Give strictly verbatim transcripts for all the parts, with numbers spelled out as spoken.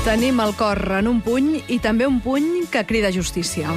Tenim el cor en un puny i també un puny que crida justícia.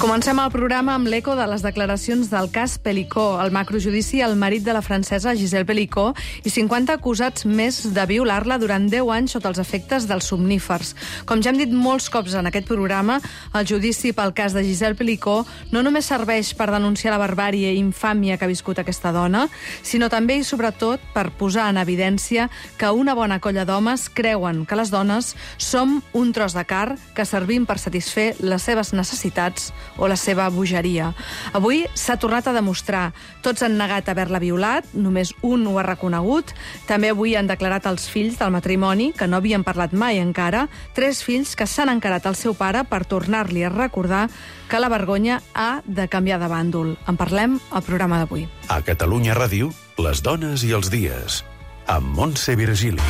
Comencem el programa amb l'eco de les declaracions del cas Pelicó, el macrojudici al marit de la francesa Gisèle Pelicó i cinquanta acusats més de violar-la durant deu anys sota els efectes dels somnífers. Com ja hem dit molts cops en aquest programa, el judici pel cas de Gisèle Pelicó no només serveix per denunciar la barbàrie i infàmia que ha viscut aquesta dona, sinó també i sobretot per posar en evidència que una bona colla d'homes creuen que les dones som un tros de car que servim per satisfer les seves necessitats o la seva bogeria. Avui s'ha tornat a demostrar. Tots han negat haver-la violat, només un ho ha reconegut. També avui han declarat els fills del matrimoni, que no havien parlat mai encara, tres fills que s'han encarat al seu pare per tornar-li a recordar que la vergonya ha de canviar de bàndol. En parlem al programa d'avui. A Catalunya Ràdio, les dones i els dies, amb Montse Virgili.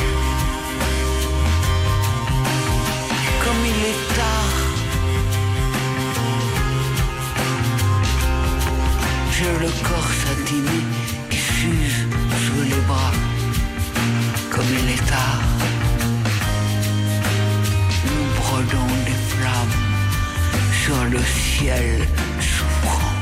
Comme il est tard, j'ai le corps satiné qui s'use sous les bras. Comme il est tard, nous brodons des flammes sur le ciel souffrant,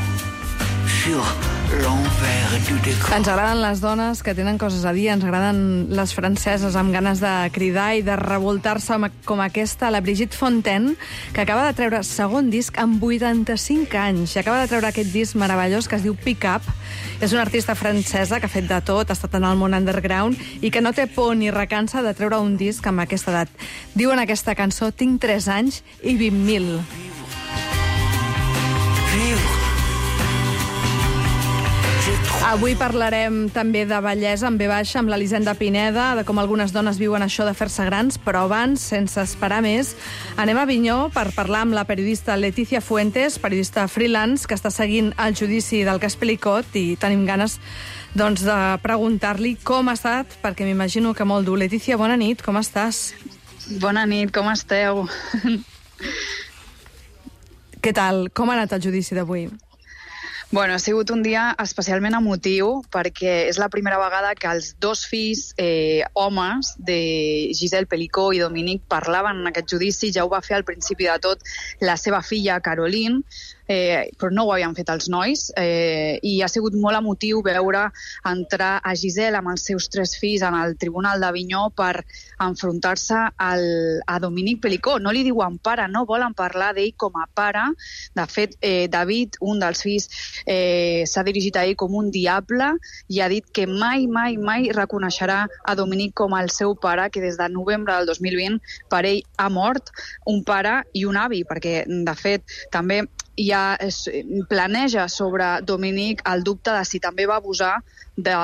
sur l'envers du décor. Ens agraden les dones que tenen coses a dir, ens agraden les franceses amb ganes de cridar i de revoltar-se com aquesta, la Brigitte Fontaine, que acaba de treure segon disc amb vuitanta-cinc anys, i acaba de treure aquest disc meravellós que es diu Pick Up. És una artista francesa que ha fet de tot, ha estat en el món underground i que no té por ni recança de treure un disc amb aquesta edat. Diu en aquesta cançó: tinc tres anys i vint mil. Vivre. Avui parlarem també de bellesa en ve baixa amb l'Elisenda Pineda, de com algunes dones viuen això de fer-se grans, però abans, sense esperar més, anem a Avinyó per parlar amb la periodista Letícia Fuentes, periodista freelance, que està seguint el judici del cas Pelicó, i tenim ganes doncs, de preguntar-li com ha estat, perquè m'imagino que molt dur. Letícia, bona nit, com estàs? Bona nit, com esteu? Què tal? Com ha anat el judici d'avui? Bueno, ha sigut un dia especialment emotiu perquè és la primera vegada que els dos fills eh, homes de Gisèle Pelicó i Dominique parlaven en aquest judici. Ja ho va fer al principi de tot la seva filla, Caroline, eh, però no ho havien fet els nois, eh, i ha sigut molt emotiu veure entrar a Gisèle amb els seus tres fills en el Tribunal d'Avinyó per enfrontar-se al, a Dominique Pelicó. No li diuen pare, no volen parlar d'ell com a pare. De fet, eh, David, un dels fills, Eh, s'ha dirigit a ell com un diable i ha dit que mai, mai, mai reconeixerà a Dominique com el seu pare, que des de novembre del dos mil vint per ell ha mort un pare i un avi, perquè de fet també ja es planeja sobre Dominique el dubte de si també va abusar de,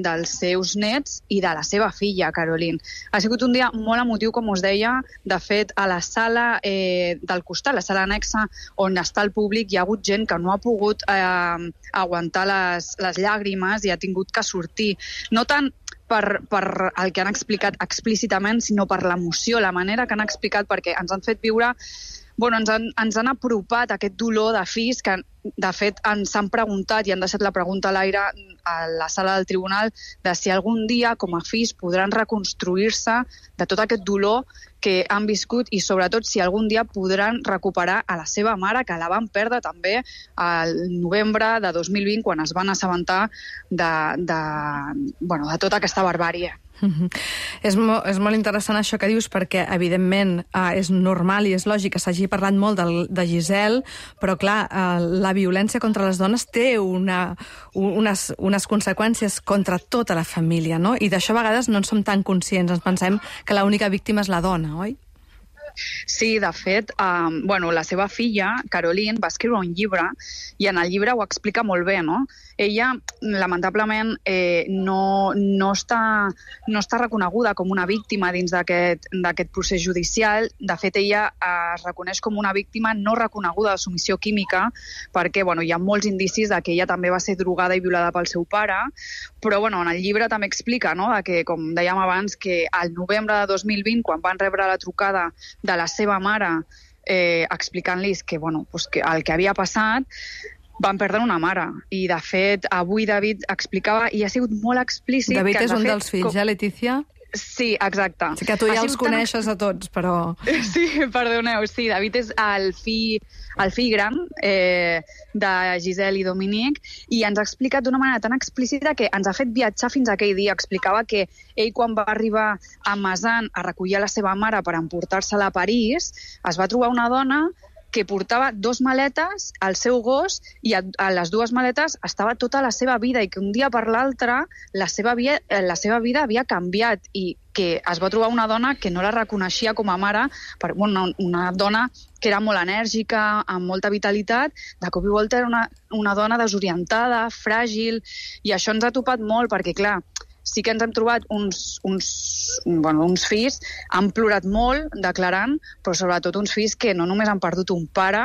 dels seus nets i de la seva filla, Caroline. Ha sigut un dia molt emotiu, com us deia. De fet, a la sala eh, del costat, la sala anexa on està el públic, hi ha hagut gent que no ha pogut eh, aguantar les, les llàgrimes i ha tingut que sortir. No tant per, per el que han explicat explícitament, sinó per l'emoció, la manera que han explicat, perquè ens han fet viure... Bueno, ens han, ens han apropat aquest dolor de fills que, de fet, ens han preguntat i han deixat la pregunta a l'aire a la sala del tribunal de si algun dia, com a fills, podran reconstruir-se de tot aquest dolor que han viscut i, sobretot, si algun dia podran recuperar a la seva mare, que la van perdre també al novembre de dos mil vint, quan es van assabentar de, de, bueno, de tota aquesta barbàrie. Mm-hmm. És, mo és molt interessant això que dius, perquè evidentment eh, és normal i és lògic que s'hagi parlat molt de, de Gisèle, però clar, eh, la violència contra les dones té una, unes, unes conseqüències contra tota la família, no? I d'això a vegades no en som tan conscients, ens pensem que l'única víctima és la dona, oi? Sí, de fet, um, bueno, la seva filla, Caroline, va escriure un llibre i en el llibre ho explica molt bé, no? Ella, lamentablement, eh, no, no, està, no està reconeguda com una víctima dins d'aquest d'aquest procés judicial. De fet, ella es reconeix com una víctima no reconeguda de submissió química perquè bueno, hi ha molts indicis de que ella també va ser drogada i violada pel seu pare, però bueno, en el llibre també explica, no?, de que, com dèiem abans, que al novembre de dos mil vint, quan van rebre la trucada de la seva mare eh, explicant-los que, bueno, pues que el que havia passat, van perdre una mare. I, de fet, avui David explicava, i ha sigut molt explícit... David que és un fet, dels fills, com... eh, Letícia? Sí, exacte. Sí que tu ja els coneixes tan... a tots, però... Sí, perdoneu, sí, David és el fill, el fill gran eh, de Giselle i Dominic, i ens ha explicat d'una manera tan explícita que ens ha fet viatjar fins a aquell dia. Explicava que ell, quan va arribar a Mazan a recollir la seva mare per emportar-se-la a París, es va trobar una dona que portava dos maletes, el seu gos, i a, a les dues maletes estava tota la seva vida, i que un dia per l'altre la, seva via, la seva vida havia canviat, i que es va trobar una dona que no la reconeixia com a mare, per, bueno, una dona que era molt enèrgica, amb molta vitalitat, de cop i volta era una, una dona desorientada, fràgil, i això ens ha topat molt, perquè, clar, sí que ens hem trobat uns, uns, bueno, uns fills, han plorat molt declarant, però sobretot uns fills que no només han perdut un pare,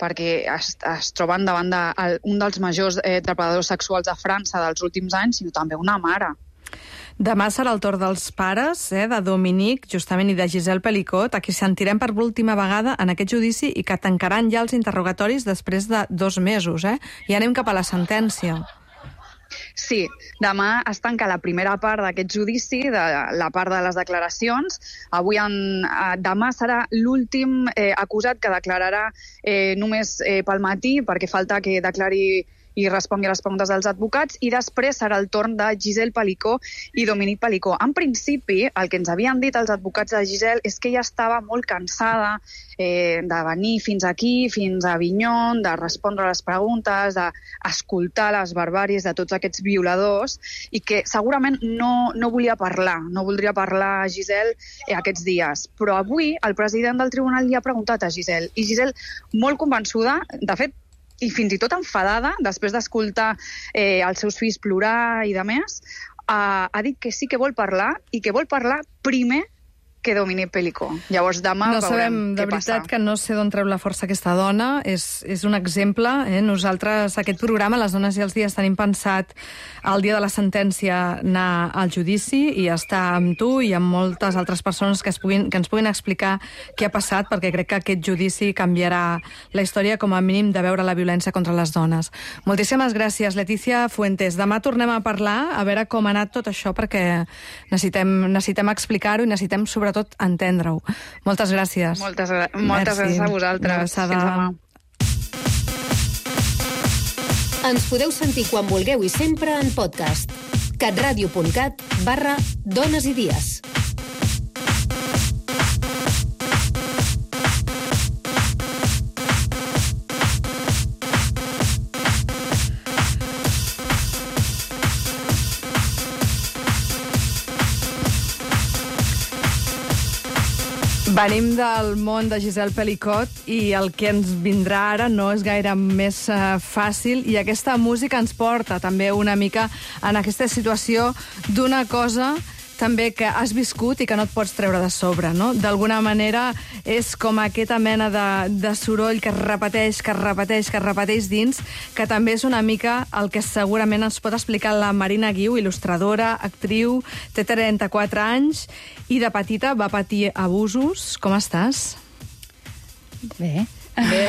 perquè es, es troben davant d'un de, dels majors eh, depredadors sexuals de França dels últims anys, sinó també una mare. Demà serà el torn dels pares, eh, de Dominic, justament, i de Giselle Pelicot, a qui sentirem per l'última vegada en aquest judici i que tancaran ja els interrogatoris després de dos mesos. Eh? I anem cap a la sentència. Sí, demà es tanca la primera part d'aquest judici, de la part de les declaracions. Avui en, eh, demà serà l'últim eh, acusat que declararà eh, només eh, pel matí, perquè falta que declari i respongui a les preguntes dels advocats, i després serà el torn de Giselle Pelicot i Dominic Pelicot. En principi, el que ens havien dit els advocats de Giselle és que ella estava molt cansada eh, de venir fins aquí, fins a Avignon, de respondre a les preguntes, d'escoltar les barbàries de tots aquests violadors, i que segurament no, no volia parlar, no voldria parlar a Giselle eh, aquests dies. Però avui el president del tribunal li ha preguntat a Giselle, i Giselle, molt convençuda, de fet, i fins i tot enfadada, després d'escoltar eh, els seus fills plorar i de més, eh, ha dit que sí que vol parlar, i que vol parlar primer que Dominic Pelicot. Llavors demà no veurem sabem, què de veritat, passa. que no sé d'on treu la força aquesta dona. És, és un exemple. Eh? Nosaltres, aquest programa, Les dones i els dies, tenim pensat el dia de la sentència anar al judici i estar amb tu i amb moltes altres persones que, es puguin, que ens puguin explicar què ha passat, perquè crec que aquest judici canviarà la història, com a mínim, de veure la violència contra les dones. Moltíssimes gràcies, Letícia Fuentes. Demà tornem a parlar, a veure com ha anat tot això, perquè necessitem, necessitem explicar-ho i necessitem, sobretot, tot entendre-ho. Moltes gràcies. Moltes, moltes gràcies a vosaltres. Fins demà. Ens podeu sentir quan vulgueu i sempre en podcast. catradio.cat barra dones i dies. Venim del món de Giselle Pelicot i el que ens vindrà ara no és gaire més uh, fàcil, i aquesta música ens porta també una mica en aquesta situació d'una cosa també que has viscut i que no et pots treure de sobre, no? D'alguna manera és com aquesta mena de, de soroll que es repeteix, que es repeteix, que es repeteix dins, que també és una mica el que segurament ens pot explicar la Marina Guiu, il·lustradora, actriu, té trenta-quatre anys i de petita va patir abusos. Com estàs? Bé. Bé.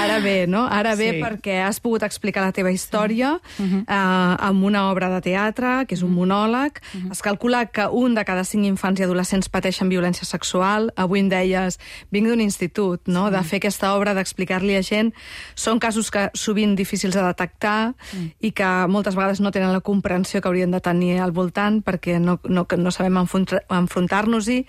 Ara bé, no? Ara bé, sí. Perquè has pogut explicar la teva història uh-huh. eh, amb una obra de teatre, que és un monòleg. Uh-huh. Es calcula que un de cada cinc infants i adolescents pateixen violència sexual. Avui em deies, vinc d'un institut, no? Sí. De fer aquesta obra, d'explicar-li a gent. Són casos que sovint difícils de detectar sí. i que moltes vegades no tenen la comprensió que haurien de tenir al voltant, perquè no, no, no sabem enfrontar-nos-hi.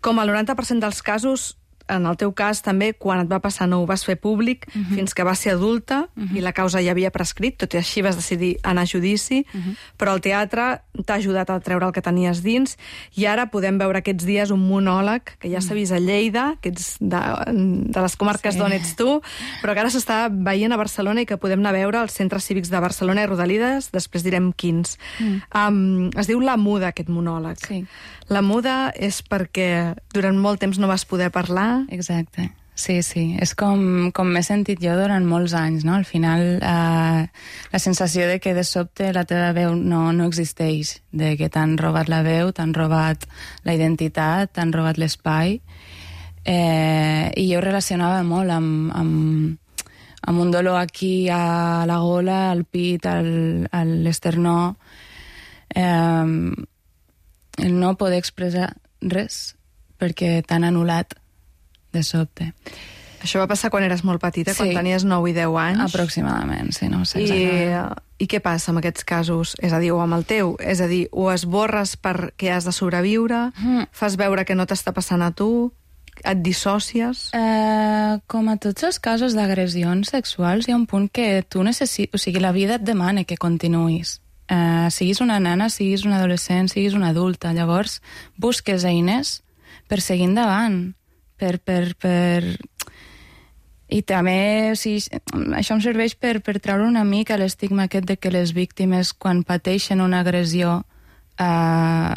Com el noranta per cent dels casos, en el teu cas també, quan et va passar no ho vas fer públic, uh-huh. fins que vas ser adulta uh-huh. i la causa ja havia prescrit, tot i així vas decidir anar a judici, uh-huh. però el teatre t'ha ajudat a treure el que tenies dins, i ara podem veure aquests dies un monòleg que ja s'ha vist a Lleida, que ets de, de les comarques sí. d'on ets tu, però que ara s'està veient a Barcelona i que podem anar a veure als centres cívics de Barcelona i Rodalides, després direm quins. Mm. Um, es diu La Muda, aquest monòleg. Sí. La Muda és perquè durant molt temps no vas poder parlar. Exacte. Sí, sí. És com, com m'he sentit jo durant molts anys, no? Al final, eh, la sensació de que de sobte la teva veu no, no existeix, de que t'han robat la veu, t'han robat la identitat, t'han robat l'espai. Eh, I jo ho relacionava molt amb, amb, amb un dolor aquí a la gola, al pit, al, a l'esternó. Eh, el no poder expressar res perquè t'han anul·lat de sobte. Això va passar quan eres molt petita, Sí. quan tenies nou i deu anys. Aproximadament, sí, no sé I, exactament. I què passa amb aquests casos? És a dir, o amb el teu, és a dir, o esborres perquè has de sobreviure, Mm. fas veure que no t'està passant a tu, et dissòcies... Eh, com a tots els casos d'agressions sexuals, hi ha un punt que tu necessites... O sigui, la vida et demana que continuïs. Eh, siguis una nena, siguis una adolescent, siguis una adulta. Llavors, busques eines per seguir endavant, per... per, per... I també, o sigui, això em serveix per, per treure una mica l'estigma aquest de que les víctimes, quan pateixen una agressió, eh,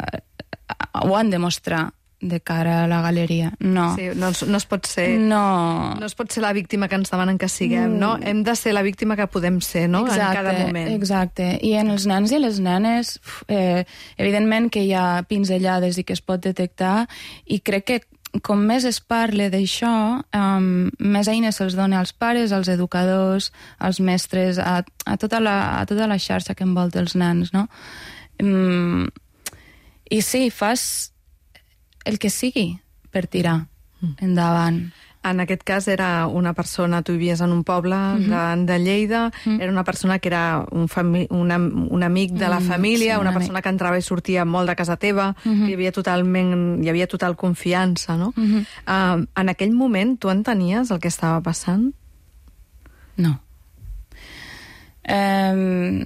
ho han de mostrar de cara a la galeria. No. Sí, no, es- no es pot ser... No. No es pot ser la víctima que ens demanen que siguem, no? Hem de ser la víctima que podem ser, no? Exacte, en cada moment. Exacte. I en els nens i les nenes, uf, eh, evidentment que hi ha pinzellades i que es pot detectar, i crec que com més es parle d'això, um, més eines se'ls dona als pares, als educadors, als mestres, a, a, tota la, a tota la xarxa que envolta els nens, no? Um, I sí, fas el que sigui per tirar endavant. En aquest cas era una persona, tu vivies en un poble de, de Lleida, era una persona que era un, fami un, am un amic de la Mm, família, sí, un una amic. persona que entrava i sortia molt de casa teva, que hi havia totalment, hi havia total confiança, no? Uh, en aquell moment tu entenies el que estava passant? No. Um,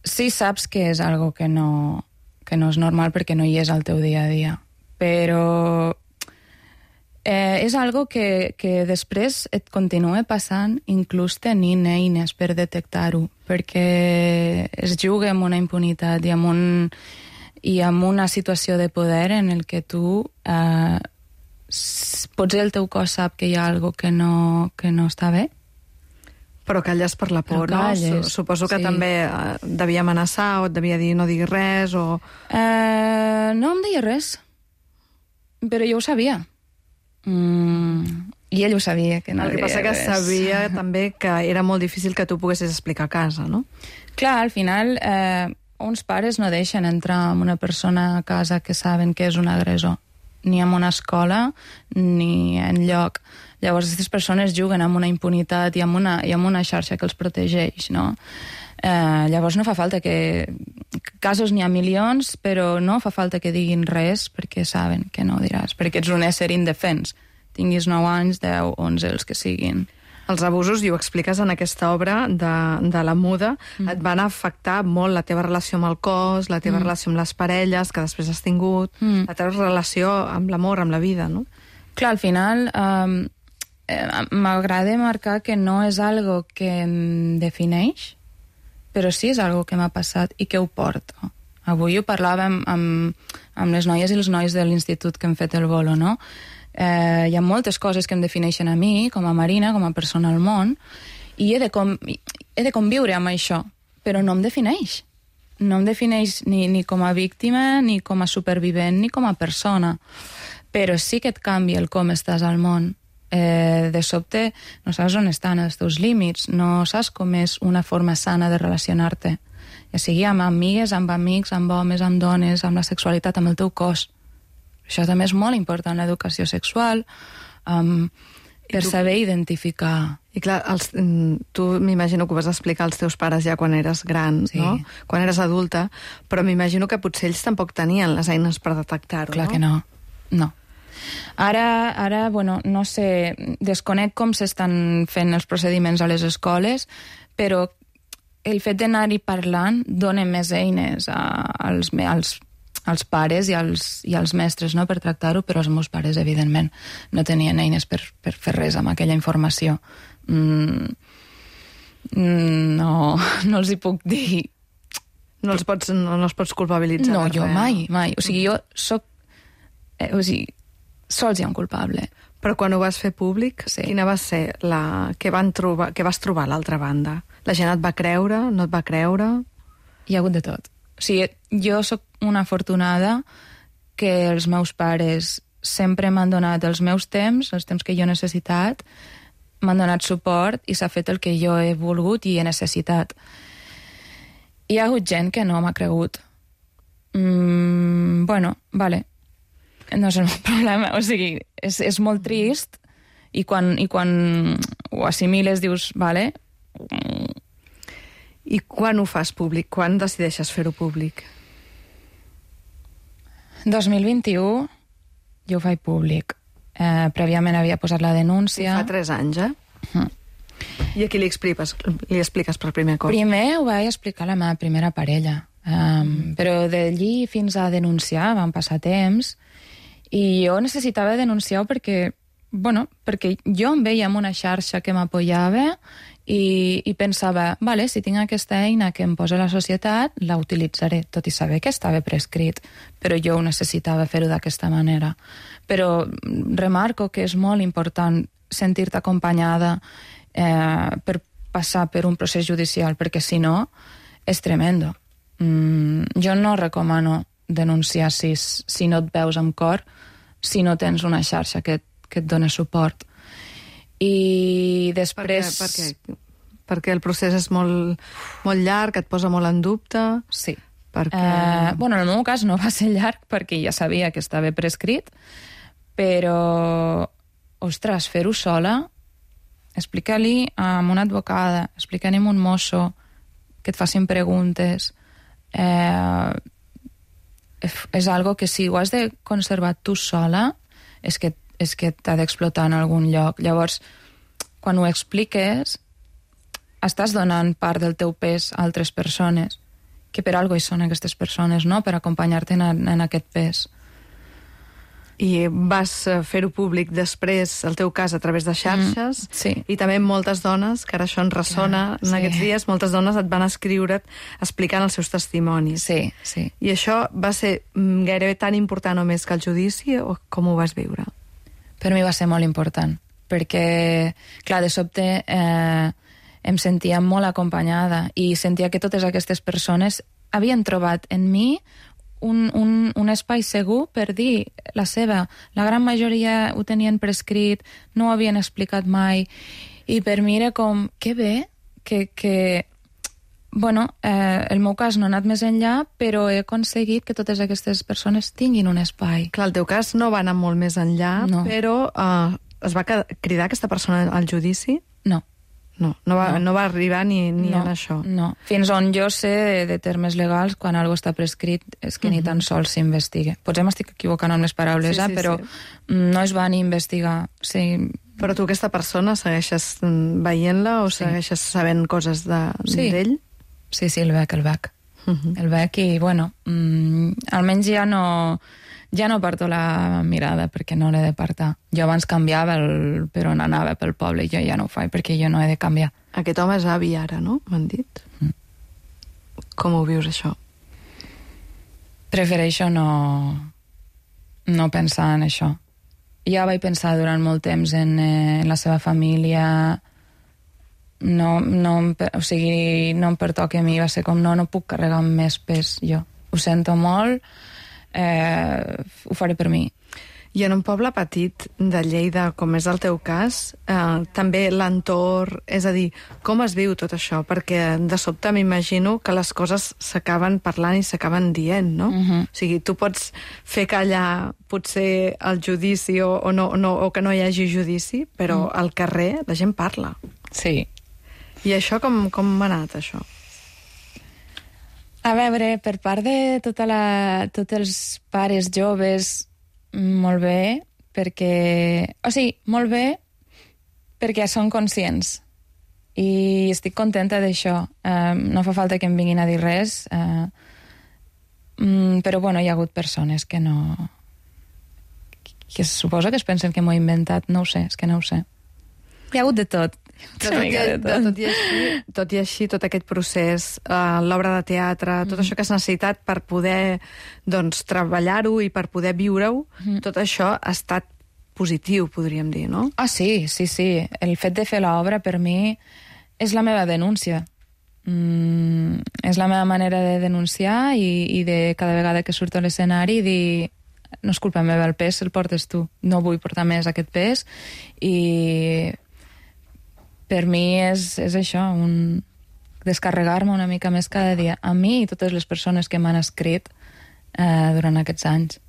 sí saps que és algo que no, que no és normal perquè no hi és al teu dia a dia, però eh, és algo que, que després et continua passant inclús tenint eines per detectar-ho, perquè es juga amb una impunitat i amb, un, i amb una situació de poder en el que tu eh, s- potser el teu cos sap que hi ha algo que no, que no està bé. Però calles per la por, Però no? calles, Su- Suposo que sí. també eh, devia amenaçar o et devia dir no diguis res o... Eh, no em deia res, però jo ho sabia. Mm, I ell ho sabia, que no El que deia passa que res. sabia també que era molt difícil que tu poguessis explicar a casa, no? Clar, al final, eh, uns pares no deixen entrar amb una persona a casa que saben que és un agressor, ni en una escola, ni en lloc. Llavors, aquestes persones juguen amb una impunitat i amb una, i amb una xarxa que els protegeix, no? Eh, llavors no fa falta que... Casos n'hi ha milions, però no fa falta que diguin res perquè saben que no ho diràs, perquè ets un ésser indefens. Tinguis nou anys, deu, onze, els que siguin. Els abusos, i ho expliques en aquesta obra de, de la muda, mm. et van afectar molt la teva relació amb el cos, la teva mm. relació amb les parelles que després has tingut, mm. la teva relació amb l'amor, amb la vida, no? Clar, al final um, eh, m'agrada marcar que no és algo que em defineix, però sí és algo que m'ha passat i que ho porto. Avui ho parlàvem amb, amb les noies i els nois de l'institut que hem fet el bolo, no? Eh, hi ha moltes coses que em defineixen a mi, com a Marina, com a persona al món, i he de, com, he de conviure amb això, però no em defineix. No em defineix ni, ni com a víctima, ni com a supervivent, ni com a persona. Però sí que et canvia el com estàs al món. Eh, de sobte no saps on estan els teus límits, no saps com és una forma sana de relacionar-te, ja sigui amb amigues, amb amics, amb homes, amb dones, amb la sexualitat, amb el teu cos. Això també és molt important, l'educació sexual, um, per tu... saber identificar. I clar, els, tu m'imagino que ho vas explicar als teus pares ja quan eres gran, Sí. no? Quan eres adulta, però m'imagino que potser ells tampoc tenien les eines per detectar-ho, Clar no? que no, no. Ara, ara, bueno, no sé, desconec com s'estan fent els procediments a les escoles, però el fet d'anar-hi parlant dona més eines a, als, als, als pares i als, i als mestres, no?, per tractar-ho, però els meus pares, evidentment, no tenien eines per, per fer res amb aquella informació. Mm, no, no els hi puc dir. No els pots, no, no els pots culpabilitzar. No, de jo res. mai, mai. O sigui, jo soc... Eh, o sigui, sols hi ha un culpable. Però quan ho vas fer públic, Sí. quina va ser la... Què, van trobar... Què vas trobar a l'altra banda? La gent et va creure? No et va creure? Hi ha hagut de tot. O sigui, jo sóc una afortunada que els meus pares sempre m'han donat els meus temps, els temps que jo he necessitat, m'han donat suport i s'ha fet el que jo he volgut i he necessitat. Hi ha hagut gent que no m'ha cregut. Mm, bueno, vale. No és el meu problema. O sigui, és, és molt trist i quan, i quan ho assimiles dius, vale. I quan ho fas públic? Quan decideixes fer-ho públic? dos mil vint-i-u jo ho faig públic. Eh, prèviament havia posat la denúncia. Fa tres anys, eh? Uh-huh. I a qui li expliques, li expliques per primer cop? Primer ho vaig explicar a la meva primera parella. Um, però d'allí fins a denunciar van passar temps i jo necessitava denunciar-ho perquè, bueno, perquè jo em veia en una xarxa que m'apoyava i, i pensava, vale, si tinc aquesta eina que em posa la societat, la utilitzaré, tot i saber que estava prescrit, però jo ho necessitava fer-ho d'aquesta manera. Però remarco que és molt important sentir-te acompanyada eh, per passar per un procés judicial, perquè si no, és tremendo. Mm, jo no recomano denunciar si, si no et veus amb cor, si no tens una xarxa que, que et dona suport. I després... Per què? Per què? Perquè el procés és molt, molt llarg, et posa molt en dubte? Sí. Perquè... Eh, bueno, en el meu cas no va ser llarg perquè ja sabia que estava prescrit, però, ostres, fer-ho sola, explicar-li a una advocada, explicar-li a un mosso, que et facin preguntes, eh, és algo que si ho has de conservar tu sola, és que, és que t'ha d'explotar en algun lloc. Llavors, quan ho expliques, estàs donant part del teu pes a altres persones, que per algo hi són aquestes persones, no? Per acompanyar-te en, en aquest pes. I vas fer-ho públic després, el teu cas, a través de xarxes, mm, sí. I també moltes dones, que ara això ens ressona Clar, en sí. aquests dies, moltes dones et van escriure explicant els seus testimonis. Sí, sí. I això va ser gairebé tan important o més que el judici, o com ho vas viure? Per mi va ser molt important, perquè, clar, de sobte eh, em sentia molt acompanyada i sentia que totes aquestes persones havien trobat en mi Un, un, un espai segur per dir la seva. La gran majoria ho tenien prescrit, no ho havien explicat mai, i per mi era com, que bé, que, que bueno, eh, el meu cas no ha anat més enllà, però he aconseguit que totes aquestes persones tinguin un espai. Clar, el teu cas no va anar molt més enllà, no. Però eh, es va cridar aquesta persona al judici? No. No, no va, no. no va arribar ni, ni no, en això. No, fins on jo sé de, de termes legals, quan algo està prescrit, és que uh-huh. ni tan sols s'investiga. Potser m'estic equivocant amb les paraules, sí, eh? Sí, però sí. No es va ni investigar. Sí. Però tu aquesta persona segueixes veient-la o sí. Segueixes sabent coses d'ell? Sí. sí, sí, el veig, el veig. Uh-huh. El veig i, bueno, mm, almenys ja no... Ja no parto la mirada perquè no l'he de partar. Jo abans canviava el, per on anava pel poble i jo ja no ho faig perquè jo no he de canviar. Aquest home és avi ara, no? M'han dit. Mm. Com ho vius, això? Prefereixo no, no pensar en això. Ja vaig pensar durant molt temps en, eh, en la seva família. No, no, o sigui, no em pertoca a mi. Va ser com, no, no puc carregar amb més pes jo. Ho sento molt. Eh, ho faré per mi. I en un poble petit de Lleida, com és el teu cas, eh, també l'entorn, és a dir, com es viu tot això? Perquè de sobte m'imagino que les coses s'acaben parlant i s'acaben dient, no? Uh-huh. O sigui, tu pots fer callar potser el judici o, o, no, no, o que no hi hagi judici, però uh-huh. al carrer la gent parla. Sí. I això com, com ha anat, això? A veure, per part de tota la, tots els pares joves, molt bé, perquè... O sigui, molt bé perquè són conscients. I estic contenta d'això. Uh, no fa falta que em vinguin a dir res, uh, um, però, bueno, hi ha hagut persones que no... que suposo que es pensen que m'ho he inventat. No ho sé, és que no ho sé. Hi ha hagut de tot. Tot, tot, i, de, tot, i així, tot i així, tot aquest procés, uh, l'obra de teatre, tot mm. això que has necessitat per poder doncs, treballar-ho i per poder viure-ho, mm. tot això ha estat positiu, podríem dir, no? Ah, sí, sí, sí. El fet de fer l'obra, per mi, és la meva denúncia. Mm, és la meva manera de denunciar i, i de cada vegada que surto a l'escenari dir no és culpa meva, el pes el portes tu. No vull portar més aquest pes i per mi és, és això, un descarregar-me una mica més cada dia. A mi i totes les persones que m'han escrit eh, durant aquests anys.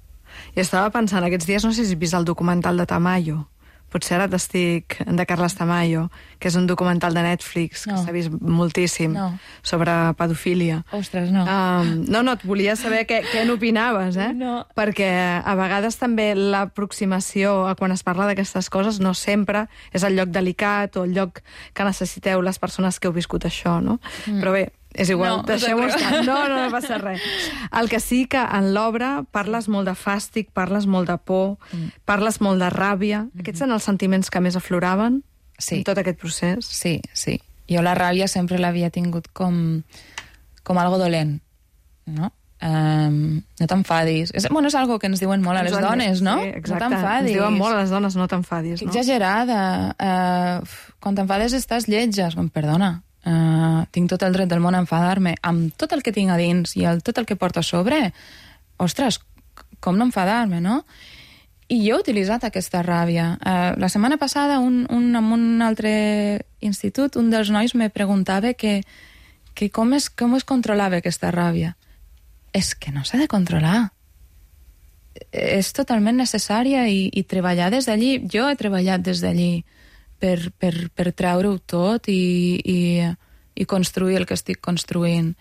I estava pensant, aquests dies, no sé si has vist el documental de Tamayo. Potser ara t'estic... de Carles Tamayo, que és un documental de Netflix, que no. s'ha vist moltíssim, no. sobre pedofília. Ostres, no. Um, no, no, et volia saber què, què n'opinaves, eh? No. Perquè a vegades també l'aproximació a quan es parla d'aquestes coses no sempre és el lloc delicat o el lloc que necessiteu les persones que heu viscut això, no? Mm. Però bé, és igual, no, deixeu-ho estar. No, no, no passa res. El que sí que en l'obra parles molt de fàstic, parles molt de por, mm. parles molt de ràbia. Mm-hmm. Aquests són els sentiments que més afloraven sí. en tot aquest procés? Sí, sí. Jo la ràbia sempre l'havia tingut com, com algo dolent, no? Um, no t'enfadis. És, bueno, és algo que ens diuen molt a les ens dones, no? Sí, exacte. No t'enfadis. Ens diuen molt a les dones, no t'enfadis. No? Exagerada. Uh, quan t'enfades estàs lletja. Com, perdona, uh, tinc tot el dret del món a enfadar-me amb tot el que tinc a dins i el, tot el que porto a sobre. Ostres, com no enfadar-me, no? I jo he utilitzat aquesta ràbia. Uh, la setmana passada, un, un, en un altre institut, un dels nois me preguntava que, que com, es, com es controlava aquesta ràbia. És que no s'ha de controlar. És totalment necessària i, i treballar des d'allí. Jo he treballat des d'allí per, per, per treure-ho tot i, i, i construir el que estic construint.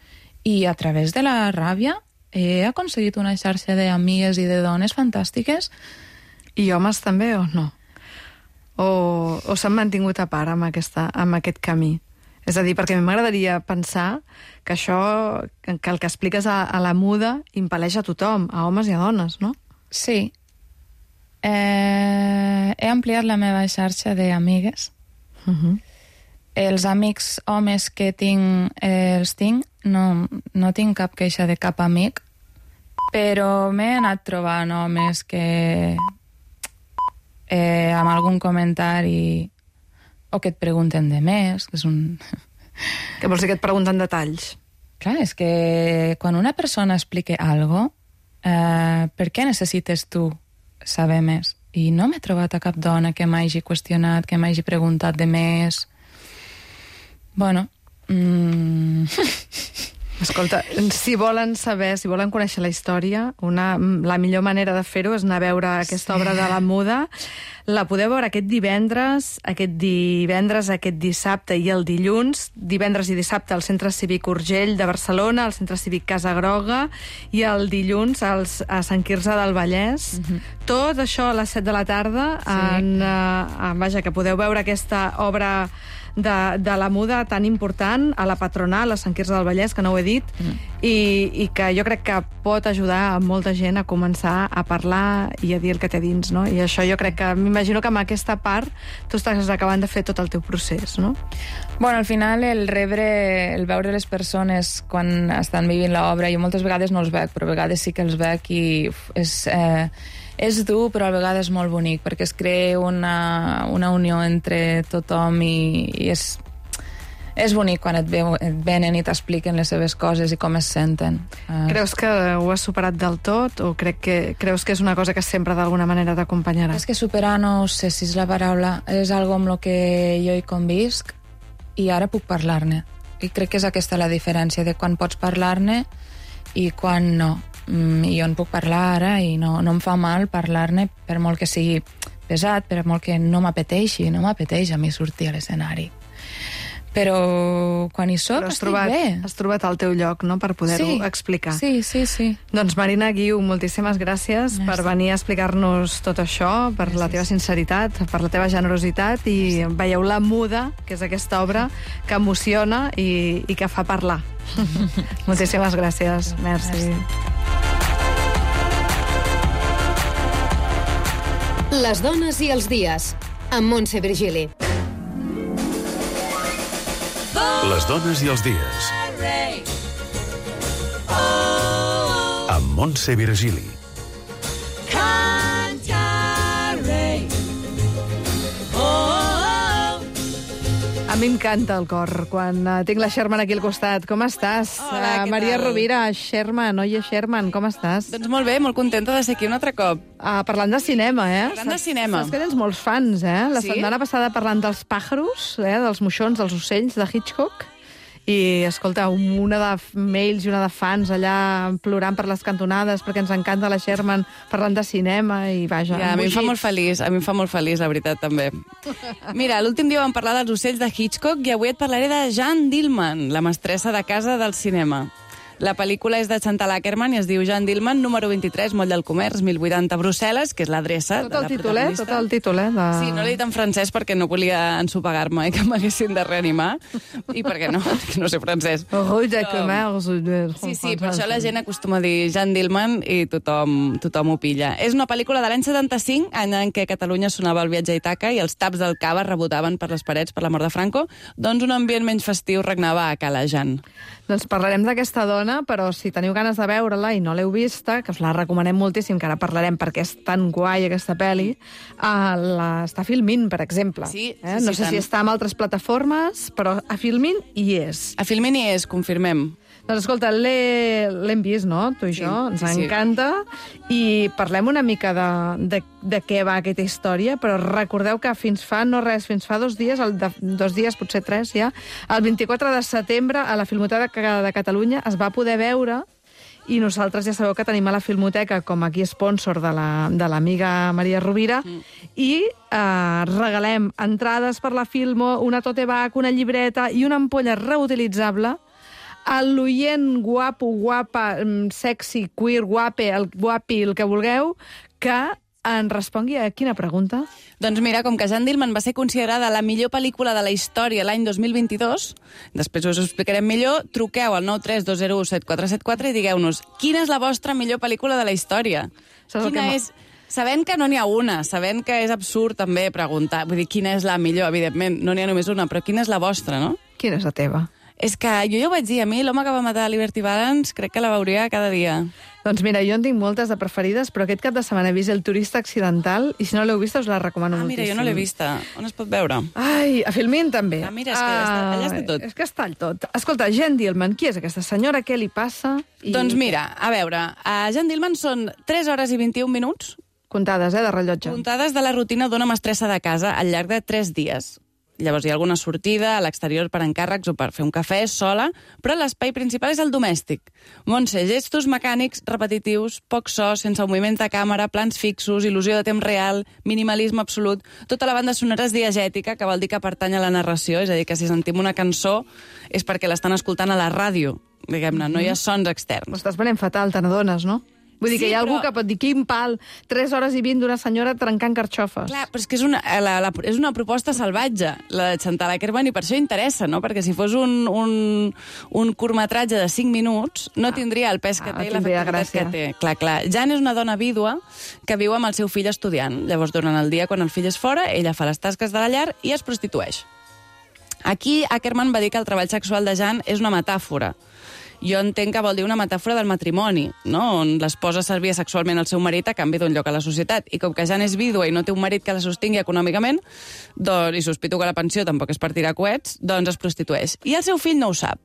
I a través de la ràbia he aconseguit una xarxa d'amigues i de dones fantàstiques. I homes també, o no? O, o s'han mantingut a part amb, aquesta, amb aquest camí? És a dir, perquè a mi m'agradaria pensar que això, que el que expliques a, a la muda impel·leix a tothom, a homes i a dones, no? Sí. Eh, he ampliat la meva xarxa d'amigues. Uh-huh. Els amics homes que tinc, eh, els tinc, no, no tinc cap queixa de cap amic, però m'he anat trobant homes que eh, amb algun comentari o que et pregunten de més, que és un... Que vols dir que et pregunten detalls? Clar, és que quan una persona explica algo, eh, per què necessites tu saber més? I no m'he trobat a cap dona que m'hagi qüestionat, que m'hagi preguntat de més. Bueno... Mm... Escolta, si volen saber, si volen conèixer la història, una, la millor manera de fer-ho és anar a veure aquesta sí. obra de la muda. La podeu veure aquest divendres, aquest divendres, aquest dissabte i el dilluns, divendres i dissabte al Centre Cívic Urgell de Barcelona, al Centre Cívic Casa Groga, i el dilluns als, a Sant Quirze del Vallès. Uh-huh. Tot això a les set de la tarda, sí. en, uh, vaja, que podeu veure aquesta obra de, de la muda tan important a la Patronal, a Sant Quirze del Vallès, que no ho he dit, mm. i, i que jo crec que pot ajudar a molta gent a començar a parlar i a dir el que té dins, no? I això jo crec que, m'imagino que amb aquesta part tu estàs acabant de fer tot el teu procés, no? Bueno, al final el rebre, el veure les persones quan estan vivint l'obra, jo moltes vegades no els veig, però a vegades sí que els veig i uf, és... Eh, és dur, però a vegades molt bonic, perquè es crea una, una unió entre tothom i, i és, és bonic quan et, veu, et venen i t'expliquen les seves coses i com es senten. Creus que ho has superat del tot o crec que, creus que és una cosa que sempre d'alguna manera t'acompanyarà? És que superar no sé si és la paraula, és algo amb el que jo hi convisc i ara puc parlar-ne. I crec que és aquesta la diferència de quan pots parlar-ne i quan no. I jo en puc parlar ara i no, no em fa mal parlar-ne per molt que sigui pesat, per molt que no m'apeteixi, no m'apeteix a mi sortir a l'escenari. Però quan hi soc Però has estic trobat, bé. Has trobat el teu lloc, no?, per poder-ho sí, explicar. Sí, sí, sí. Doncs Marina Guiu, moltíssimes gràcies Merci. per venir a explicar-nos tot això, per Gràcies. la teva sinceritat, per la teva generositat i Gràcies. veieu La Muda, que és aquesta obra que emociona i, i que fa parlar. Moltíssimes gràcies. Merci. Merci. Les dones i els dies, amb Montse Virgili. Les dones i els dies. Amb Montse Virgili. A mi m'encanta el cor quan uh, tinc la Sherman aquí al costat. Com estàs? Hola, què Maria tal? Rovira, Sherman, oye Sherman, com estàs? Doncs molt bé, molt contenta de ser aquí un altre cop. Uh, parlant de cinema, eh? Parlant de Saps- cinema. Saps que tens molts fans, eh? La Sí? setmana passada parlant dels pàjaros, eh? dels moixons, dels ocells de Hitchcock. I, escolta, una de mails i una de fans allà plorant per les cantonades perquè ens encanta la Sherman parlant de cinema i vaja. Ja, a mi em fa embogits. molt feliç, a mi em fa molt feliç, la veritat, també. Mira, l'últim dia vam parlar dels ocells de Hitchcock i avui et parlaré de Jeanne Dillman, la mestressa de casa del cinema. La pel·lícula és de Chantal Akerman i es diu Jeanne Dillman, número vint-i-tres, Moll del Comerç, mil vuitanta, Brussel·les, que és l'adreça Tot de el la títol, eh? protagonista. Tot el títol, eh? De... Sí, no l'he dit en francès perquè no volia ensopegar-me i que m'haguessin de reanimar. I perquè no, perquè no sé francès. Rue de Però- Comerç. Sí, sí, per això la gent acostuma a dir Jeanne Dillman i tothom, tothom ho pilla. És una pel·lícula de l'any setanta-cinc, any en què a Catalunya sonava el viatge a Ítaca i els taps del cava rebotaven per les parets per la mort de Franco, doncs un ambient menys festiu regnava a Cala Jeanne. Doncs parlarem d'aquesta dona, però si teniu ganes de veure-la i no l'heu vista, que us la recomanem moltíssim, que ara parlarem perquè és tan guai aquesta pel·li, uh, l'està Filmin, per exemple. Sí, sí, eh? No sí, sé tant. si està en altres plataformes, però a Filmin hi és. A Filmin hi és, confirmem. Doncs escolta, l'he- l'hem vist, no?, tu i Sí, jo, ens sí, sí. encanta, i parlem una mica de, de, de què va aquesta història, però recordeu que fins fa, no res, fins fa dos dies, el de, dos dies, potser tres ja, el vint-i-quatre de setembre a la Filmoteca de Catalunya es va poder veure, i nosaltres ja sabeu que tenim a la Filmoteca com aquí sponsor de la- de l'amiga Maria Rovira, mm. i eh, regalem entrades per la Filmo, una tote bag, una llibreta i una ampolla reutilitzable a l'oient guapo, guapa, mm, sexy, queer, guape, el guapi, el que vulgueu, que en respongui a quina pregunta? Doncs mira, com que Jeanne Dillman va ser considerada la millor pel·lícula de la història l'any dos mil vint-i-dos, després us ho explicarem millor, truqueu al nou tres dos zero u set quatre set quatre i digueu-nos quina és la vostra millor pel·lícula de la història. Saps el que Quina m'ha- és... Sabent que no n'hi ha una, sabent que és absurd també preguntar, vull dir, quina és la millor, evidentment, no n'hi ha només una, però quina és la vostra, no? Quina és la teva? És que jo ja ho vaig dir, a mi l'home que va matar Liberty Balance crec que la veuria cada dia. Doncs mira, jo en tinc moltes de preferides, però aquest cap de setmana he vist El turista accidental i si no l'heu vista us la recomano Ah, moltíssim. mira, jo no l'he vista. On es pot veure? Ai, a Filmin també. Ah, mira, és que està- allà està tot. És que està el tot. Escolta, Jeanne Dillman, qui és aquesta senyora? Què li passa? I... Doncs mira, a veure, a Jeanne Dillman són tres hores i vint-i-un minuts Comptades, eh, de rellotge. comptades de la rutina d'una mestressa de casa al llarg de tres dies. Llavors hi ha alguna sortida a l'exterior per encàrrecs o per fer un cafè sola, però l'espai principal és el domèstic. Montse, gestos mecànics repetitius, poc so, sense moviments de càmera, plans fixos, il·lusió de temps real, minimalisme absolut. Tota la banda sonora és diegètica, que vol dir que pertany a la narració, és a dir, que si sentim una cançó és perquè l'estan escoltant a la ràdio, diguem-ne, no hi ha sons Ho externs. estàs venent fatal, te n'adones, no? Vull dir Sí, que hi ha algú però- que pot dir quin pal, tres hores i vint d'una senyora trencant carxofes. Clar, però és que és una, la, la, és una proposta salvatge, la de Chantal Akerman, i per això interessa, no? Perquè si fos un, un, un curtmetratge de cinc minuts, no tindria el pes que ah, té i la tindria efectivitat gràcia. que té. Clar, clar. Jan és una dona vídua que viu amb el seu fill estudiant. Llavors, durant el dia, quan el fill és fora, ella fa les tasques de la llar i es prostitueix. Aquí, Akerman va dir que el treball sexual de Jan és una metàfora. Jo entenc que vol dir una metàfora del matrimoni, no? On l'esposa servia sexualment al seu marit a canvi d'un lloc a la societat. I com que Jan és vídua i no té un marit que la sostingui econòmicament, doncs, i sospito que la pensió tampoc és per tirar coets, doncs es prostitueix. I el seu fill no ho sap.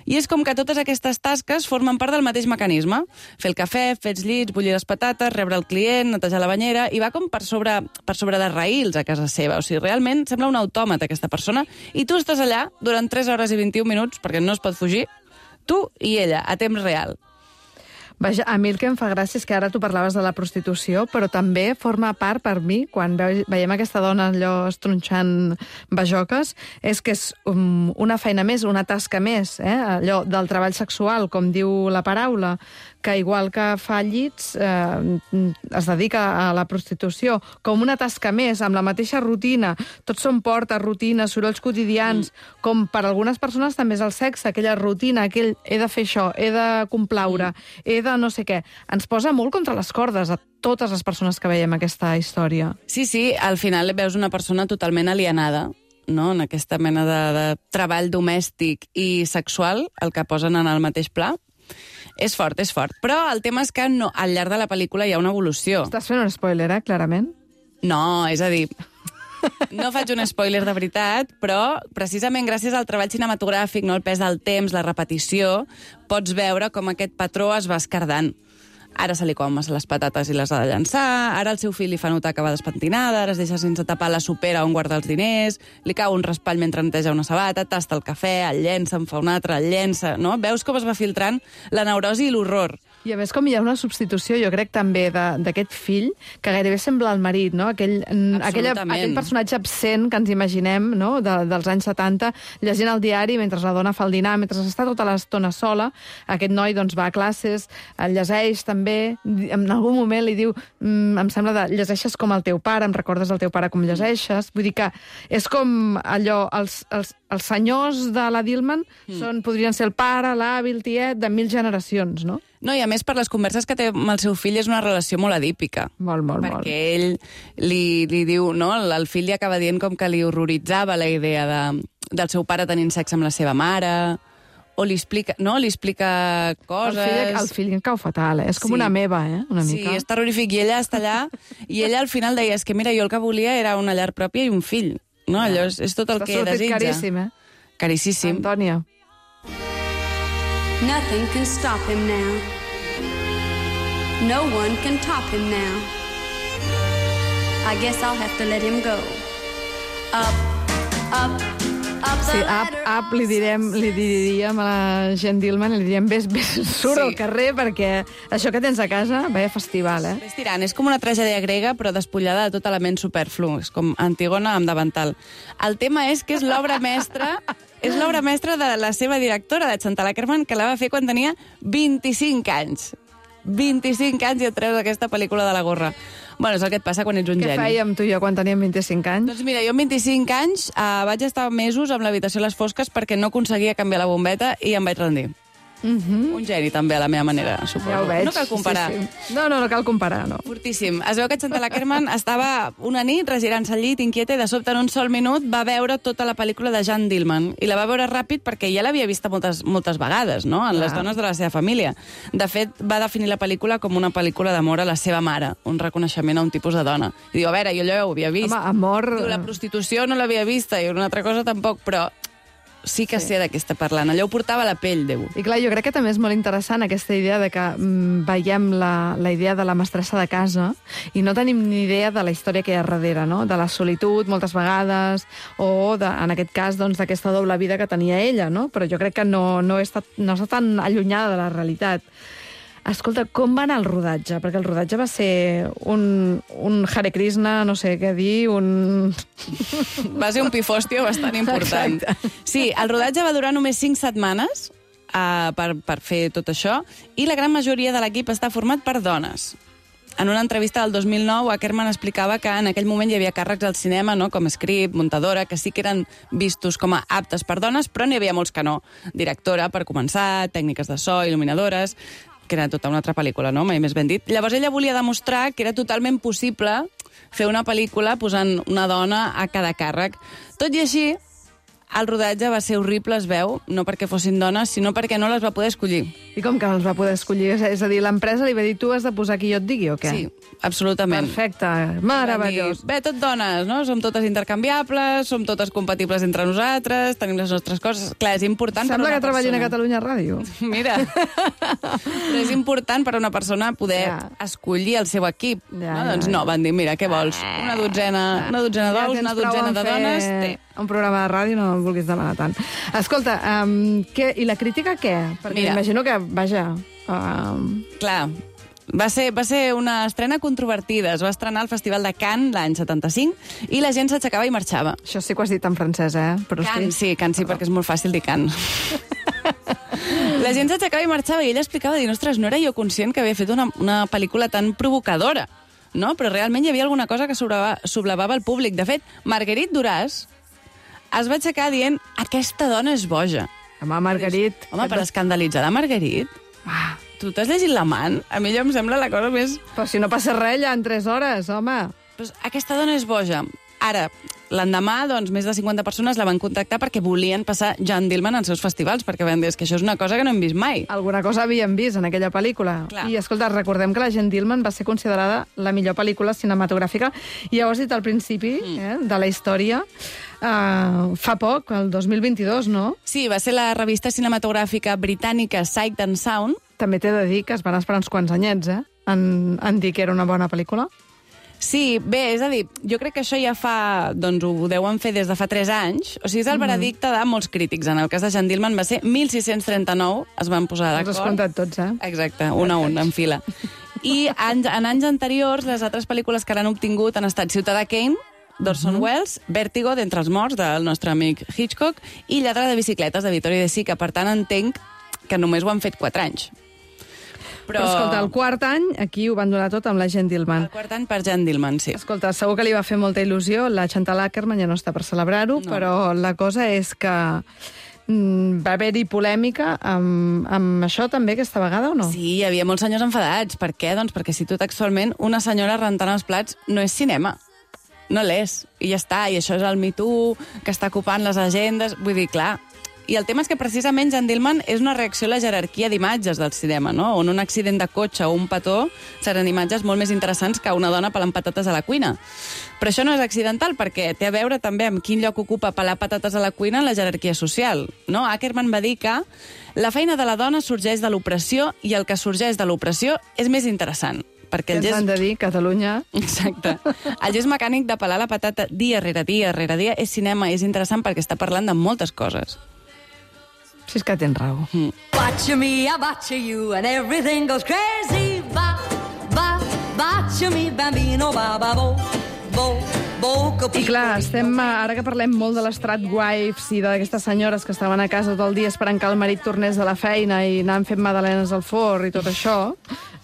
I és com que totes aquestes tasques formen part del mateix mecanisme. Fer el cafè, fer els llits, bullir les patates, rebre el client, netejar la banyera, i va com per sobre, per sobre de raïls a casa seva. O sigui, realment sembla un autòmat aquesta persona, i tu estàs allà durant tres hores i vint-i-un minuts, perquè no es pot fugir, tu i ella, a temps real. Vaja, a mi el que em fa gràcia és que ara tu parlaves de la prostitució, però també forma part per mi, quan ve, veiem aquesta dona allò estronxant bajoques, és que és um, una feina més, una tasca més, eh? Allò del treball sexual, com diu la paraula, que igual que fa llits, eh, es dedica a la prostitució, com una tasca més, amb la mateixa rutina. Tots són portes, rutines, sorolls quotidians, mm. com per algunes persones també és el sexe, aquella rutina, aquell he de fer això, he de complaure, mm. he de no sé què. Ens posa molt contra les cordes a totes les persones que veiem aquesta història. Sí, sí, al final veus una persona totalment alienada, no? En aquesta mena de, de treball domèstic i sexual, el que posen en el mateix pla. És fort, és fort. Però el tema és que no, al llarg de la pel·lícula hi ha una evolució. Estàs fent un spoiler, eh, clarament? No, és a dir, no faig un spoiler de veritat, però precisament gràcies al treball cinematogràfic, no, el pes del temps, la repetició, pots veure com aquest patró es va escardant. Ara se li comen les patates i les ha de llançar, ara el seu fill li fa notar que va despentinada, ara es deixa sense tapar la supera on guarda els diners, li cau un raspall mentre neteja una sabata, tasta el cafè, el llença, en fa un altre, el llença, no? Veus com es va filtrant la neurosi i l'horror. I a més, com hi ha una substitució, jo crec també, d'aquest fill, que gairebé sembla el marit, no? Aquell, aquella, aquell personatge absent que ens imaginem, no?, de, dels anys setanta, llegint el diari mentre la dona fa el dinar, mentre està tota l'estona sola, aquest noi doncs, va a classes, el llegeix també, en algun moment li diu, mm, em sembla, de, llegeixes com el teu pare, em recordes el teu pare com llegeixes, vull dir que és com allò, els, els, els senyors de la Dillman mm. són, podrien ser el pare, l'avi, el tiet, de mil generacions, no? No, i a més, per les converses que té amb el seu fill, és una relació molt adípica. Molt, molt, perquè molt. Perquè ell li, li diu, no?, el fill li acaba dient com que li horroritzava la idea de, del seu pare tenint sexe amb la seva mare, o li explica, no?, li explica coses... El fill, el fill en cau fatal, eh? És com sí. una meva, eh?, una mica. Sí, és terrorífic. I ella està allà, i ella al final deia, és que mira, jo el que volia era una llar pròpia i un fill. No? Allò és, és tot el T'ha que desitja. caríssim, eh? Carissíssim. Antònia. Nothing can stop him now. No one can top him now. I guess I'll have to let him go. Up, up, up the Sí, up, ladder. up, li, direm, li diríem a la gent Dillman, li diríem, ves, ves, surt Sí. al carrer, perquè això que tens a casa, vaya festival, eh? Ves tirant, és com una tragèdia grega, però despullada de tot element superflu. És com Antígona amb davantal. El tema és que és l'obra mestra... És l'obra mestra de la seva directora, de Chantal Akerman, que la va fer quan tenia vint-i-cinc anys. vint-i-cinc anys i et treus aquesta pel·lícula de la gorra. Bueno, és el que et passa quan ets un Què geni. fèiem tu i jo quan teníem vint-i-cinc anys? Doncs mira, jo amb vint-i-cinc anys eh, vaig estar mesos amb l'habitació a les fosques perquè no aconseguia canviar la bombeta i em vaig rendir. Mm-hmm. Un geni, també, a la meva manera, suposo. Ja ho veig. No cal comparar. Sí, sí. No, no, no cal comparar, no. Fortíssim. Es veu que Chantal Akerman estava una nit regirant-se al llit, inquieta, i de sobte en un sol minut va veure tota la pel·lícula de Jeanne Dillman. I la va veure ràpid perquè ja l'havia vista moltes, moltes vegades, no?, en les Ah. dones de la seva família. De fet, va definir la pel·lícula com una pel·lícula d'amor a la seva mare, un reconeixement a un tipus de dona. I diu, a veure, jo allò ja ho havia vist. Home, amor... Diu, la prostitució no l'havia vista i una altra cosa tampoc, però sí que sí. sé de què està parlant. Allò ho portava a la pell, Déu. I clar, jo crec que també és molt interessant aquesta idea de que mm, veiem la, la idea de la mestressa de casa i no tenim ni idea de la història que hi ha darrere, no? De la solitud, moltes vegades, o, de, en aquest cas, doncs, d'aquesta doble vida que tenia ella, no? Però jo crec que no, no, està, no està tan allunyada de la realitat. Escolta, com va anar el rodatge? Perquè el rodatge va ser un, un Hare Krishna, no sé què dir, un... Va ser un pifòstio bastant important. Exacte. Sí, el rodatge va durar només cinc setmanes uh, per, per fer tot això, i la gran majoria de l'equip està format per dones. En una entrevista del dos mil nou, Akerman explicava que en aquell moment hi havia càrrecs al cinema, no?, com script, muntadora, que sí que eren vistos com a aptes per dones, però n'hi havia molts que no. Directora, per començar, tècniques de so, il·luminadores, que era tota una altra pel·lícula, no?, mai més ben dit. Llavors ella volia demostrar que era totalment possible fer una pel·lícula posant una dona a cada càrrec. Tot i així, el rodatge va ser horrible, es veu, no perquè fossin dones, sinó perquè no les va poder escollir. I com que no els va poder escollir? És a dir, l'empresa li va dir, tu has de posar qui jo et digui, o què? Sí, absolutament. Perfecte, meravellós. Bé, tot dones, no? Som totes intercanviables, som totes compatibles entre nosaltres, tenim les nostres coses. Clar, és important Sembla per una que treballin persona. a Catalunya Ràdio. Mira, però és important per a una persona poder Ja. escollir el seu equip. Ja, no? ja, Doncs no, ja. van dir, mira, què vols? Una dotzena, una dotzena Ja d'ous, tens una prou dotzena en de fer dones... Té. un programa de ràdio, no el vulguis demanar tant. Escolta, um, què, i la crítica què? Perquè Mira. imagino que, vaja... Um, Clar, va ser, va ser una estrena controvertida. Es va estrenar al Festival de Cannes l'any setanta-cinc i la gent s'aixecava i marxava. això sí que ho has dit en francès, eh? Però Can, sí, Can sí, perquè és molt fàcil dir Can. La gent s'aixecava i marxava i ella explicava, dir, ostres, no era jo conscient que havia fet una, una pel·lícula tan provocadora, no? Però realment hi havia alguna cosa que sobrava- soblevava el públic. De fet, Marguerite Duras es va aixecar dient, aquesta dona és boja. Home, Marguerite... Home, per escandalitzar la Marguerite, Ah, tu t'has llegit l'amant? A mi allò em sembla la cosa més... però si no passa res, ja en tres hores, home. Pues aquesta dona és boja. Ara, L'endemà, doncs, més de cinquanta persones la van contactar perquè volien passar Jeanne Dielman als seus festivals, perquè van dir que això és una cosa que no hem vist mai. Alguna cosa havíem vist en aquella pel·lícula. Clar. I, escolta, recordem que la Jeanne Dielman va ser considerada la millor pel·lícula cinematogràfica, i ja ho has dit al principi, mm. eh, de la història, uh, fa poc, el dos mil vint-i-dos, no? Sí, va ser la revista cinematogràfica britànica Sight and Sound. També t'he de dir que es van esperar uns quants anyets, eh, en, en dir que era una bona pel·lícula. Sí, bé, és a dir, jo crec que això ja fa, doncs ho deuen fer des de fa tres anys, o sigui, és el veredicte de molts crítics. En el cas de Jeanne Dielman va ser mil sis-cents trenta-nou, es van posar d'acord. Els has comptat tots, eh? Exacte, un a un, en fila. I en, en anys anteriors, les altres pel·lícules que l'han obtingut han estat Ciutadà Kane, d'Orson Welles, Vértigo, d'Entre els morts, del nostre amic Hitchcock, i Lladre de bicicletes, de Vittorio De Sica. Per tant, entenc que només ho han fet quatre anys. Però... Però, escolta, el quart any, aquí ho van donar tot amb la Jeanne Dielman. El quart any per Jeanne Dielman, sí. Escolta, segur que li va fer molta il·lusió. La Chantal Akerman ja no està per celebrar-ho, no. Però la cosa és que mm, va haver-hi polèmica amb, amb això també aquesta vegada, o no? Sí, hi havia molts senyors enfadats. Per què? Doncs perquè cito textualment, una senyora rentant els plats no és cinema. No l'és. I ja està. I això és el Me Too, que està ocupant les agendes. Vull dir, clar... I el tema és que precisament Jeanne Dielman és una reacció a la jerarquia d'imatges del cinema, no? On un accident de cotxe o un petó seran imatges molt més interessants que una dona pelant patates a la cuina. Però això no és accidental, perquè té a veure també amb quin lloc ocupa pelar patates a la cuina en la jerarquia social, no? Akerman va dir que la feina de la dona sorgeix de l'opressió i el que sorgeix de l'opressió és més interessant. Perquè el gest... han de dir, Catalunya... Exacte. El gest mecànic de pelar la patata dia rere dia rere dia és cinema, és interessant perquè està parlant de moltes coses. Si és que tens raó. Mm. Watch me, I watch you, and everything goes crazy. Va, va, watch me, bambino, ba, ba, bo, bo, bo, I clar, estem, ara que parlem molt de les tradwives i d'aquestes senyores que estaven a casa tot el dia esperant que el marit tornés de la feina i anaven fent magdalenes al forn i tot això,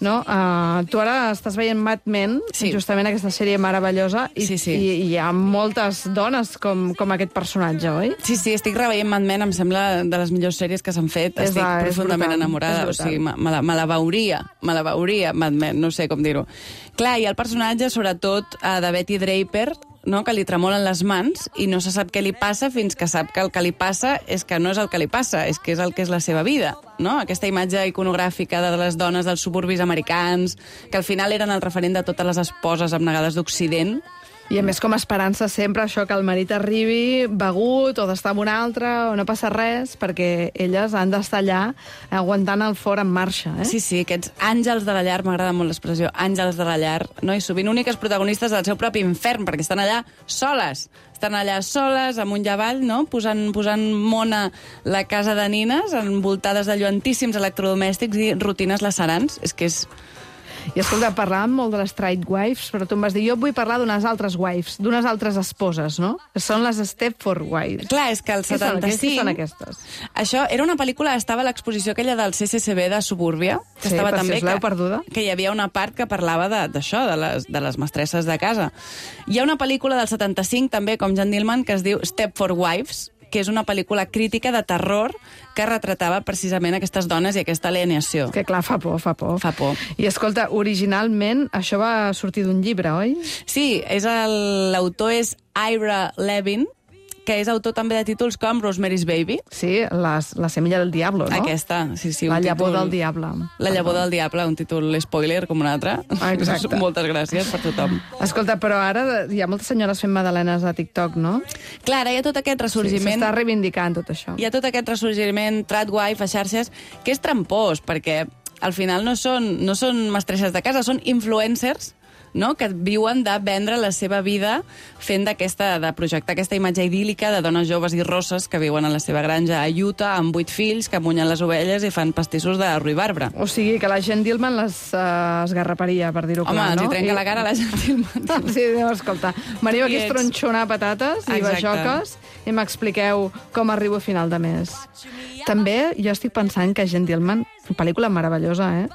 no? Uh, tu ara estàs veient Mad Men, sí. Justament aquesta sèrie meravellosa, i, sí, sí. i, i hi ha moltes dones com, com aquest personatge, oi? Sí, sí, estic reveient Mad Men, em sembla de les millors sèries que s'han fet. És estic la, profundament brutal, enamorada, o sigui, me, me, la, me la veuria, me la veuria, Mad Men, no sé com dir-ho. Clar, i el personatge, sobretot, uh, de Betty Draper, no? Que li tremolen les mans i no se sap què li passa fins que sap que el que li passa és que no és el que li passa, és que és el que és la seva vida, no? Aquesta imatge iconogràfica de les dones dels suburbis americans, que al final eren el referent de totes les esposes abnegades d'Occident. I a més com a esperança sempre això, que el marit arribi begut o d'estar amb un altre o no passa res, perquè elles han d'estar allà aguantant el forn en marxa. Eh? Sí, sí, aquests àngels de la llar, m'agrada molt l'expressió, àngels de la llar, no? I sovint úniques protagonistes del seu propi infern, perquè estan allà soles. Estan allà soles, amunt i avall, no? Posant, posant mona la casa de nines, envoltades de lluentíssims electrodomèstics i rutines lacerants. És que és... I escolta, parlàvem molt de les tradwives, però tu em vas dir, jo vull parlar d'unes altres wives, d'unes altres esposes, no? Són les Stepford Wives. Clar, és que el setanta-cinc... Què són aquestes? Això era una pel·lícula, estava a l'exposició aquella del C C C B de Subúrbia, que sí, estava per també... si us l'heu perduda. Que hi havia una part que parlava d'això, de, de, les, de les mestresses de casa. Hi ha una pel·lícula del setanta-cinc, també, com Jeanne Dielman, que es diu Stepford Wives, que és una pel·lícula crítica de terror que retratava precisament aquestes dones i aquesta alienació. Que clar, fa por, fa por. Fa por. I escolta, originalment això va sortir d'un llibre, oi? Sí, és l'autor és Ira Levin, que és autor també de títols com Rosemary's Baby. Sí, les, La semilla del diablo, no? Aquesta, sí, sí. La un llavor títol... del diable. La llavor del diable, un títol spoiler com un altre. Ah, exacte. Moltes gràcies per tothom. Escolta, però ara hi ha moltes senyores fent magdalenes a TikTok, no? Clar, ara hi ha tot aquest ressorgiment... Sí, s'està reivindicant tot això. Hi ha tot aquest ressorgiment tradwife a xarxes que és trampós, perquè al final no són, no són mestresses de casa, són influencers, no? Que viuen de vendre la seva vida fent d'aquesta, de projectar aquesta imatge idíl·lica de dones joves i rosses que viuen a la seva granja a Utah amb vuit fills, que munyen les ovelles i fan pastissos de ruibarbre. O sigui, que la Jeanne Dielman les uh, esgarraparia, per dir-ho clar, no? Home, els hi trenca I... la cara a la Jeanne Dielman. Sí, escolta, veniu aquí a estronxonar patates i bajoques i m'expliqueu com arribo a final de mes. També jo estic pensant que Jeanne Dielman, pel·lícula meravellosa, eh?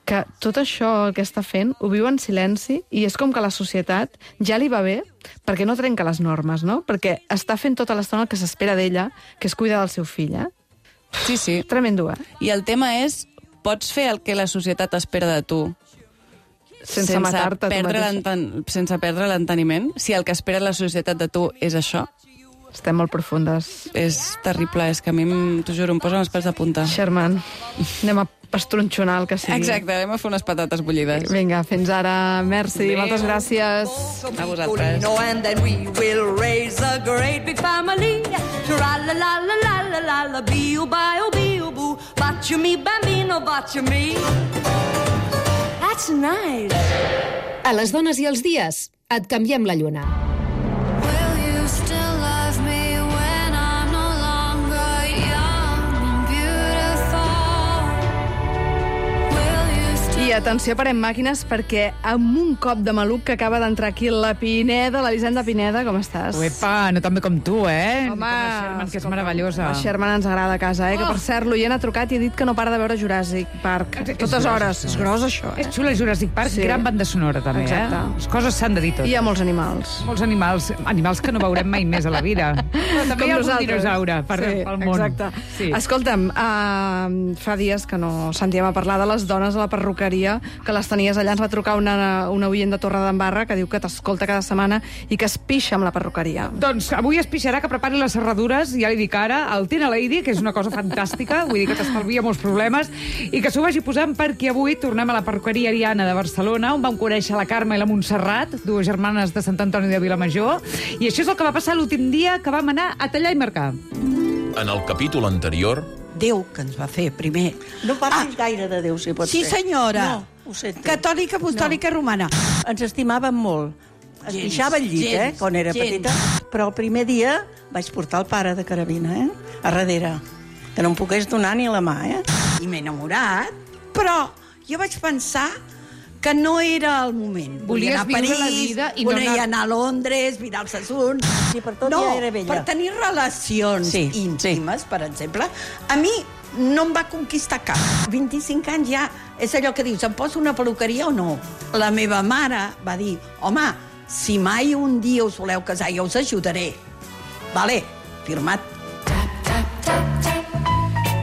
Que tot això que està fent ho viu en silenci i és com que la societat ja li va bé perquè no trenca les normes, no? Perquè està fent tota l'estona el que s'espera d'ella, que és cuidar del seu fill, eh? Sí, sí. Tremendo, eh? I el tema és, pots fer el que la societat espera de tu sense matar-te. Sense perdre l'enteniment, si el que espera la societat de tu és això... Estem molt profundes. És terrible, és que a mi, t'ho juro, em posen els pèls de punta. Sherman, anem a pastronxonar el que sigui. Exacte, anem a fer unes patates bullides. Vinga, fins ara. Merci, Adéu. Moltes gràcies. A vosaltres. And then we will raise a great big family. Tra-la-la-la-la-la-la, biu-biu-biu-boo. Bacio mi bambino, bacio mi. That's nice. A les dones i els dies, et canviem la lluna. I atenció, parem màquines, perquè amb un cop de maluc que acaba d'entrar aquí la Pineda, l'Elisenda Pineda, com estàs? Uepa, no tan bé com tu, eh? Home, com la Sherman, que és meravellosa. La Sherman ens agrada a casa, eh? Oh. Que, per cert, l'oient ha trucat i ha dit que no para de veure Jurassic Park. És, Totes és hores. És gros, això, eh? És xula Jurassic Park, sí. Gran banda sonora, també, exacte. eh? Les coses s'han de dir tot. I hi ha molts animals. Molts animals, animals que no veurem mai més a la vida. Però també com hi ha nosaltres. un dinosaure per, sí, pel món. Exacte. Sí. Escolta'm, uh, fa dies que no sentíem a parlar de les dones a la perruqueria, que les tenies allà. Ens va trucar una, una oient de Torredembarra que diu que t'escolta cada setmana i que es pixa amb la perruqueria. Doncs avui es pixarà, que prepari les serradures, ja li dic ara, el Tena Lady, que és una cosa fantàstica, vull dir que t'estalvia molts problemes, i que s'ho vagi posant perquè avui tornem a la perruqueria Ariana de Barcelona, on vam conèixer la Carme i la Montserrat, dues germanes de Sant Antoni de Vilamajor, i això és el que va passar l'últim dia que vam anar a tallar i marcar. En el capítol anterior... Déu que ens va fer, primer. No parlis ah, gaire de Déu, si pot sí, ser. Sí, senyora. No, ho sento. Catòlica, apostòlica, no. Romana. Ens estimàvem molt. Es gens, pixava al llit, gens, eh, quan era gens. petita. Però el primer dia vaig portar el pare de carabina, eh, a darrere. Que no em pogués donar ni la mà, eh. I m'he enamorat, però jo vaig pensar que no era el moment. Volies volia anar a París, viure la vida i no volia anar... anar a Londres, mirar els assuns... Sí, per tot no, ja era vella. per tenir relacions sí, íntimes, sí. per exemple, a mi no em va conquistar cap. vint-i-cinc anys ja és allò que dius, em poso una peluqueria o no? La meva mare va dir, home, si mai un dia us voleu casar, jo us ajudaré. Vale, firmat.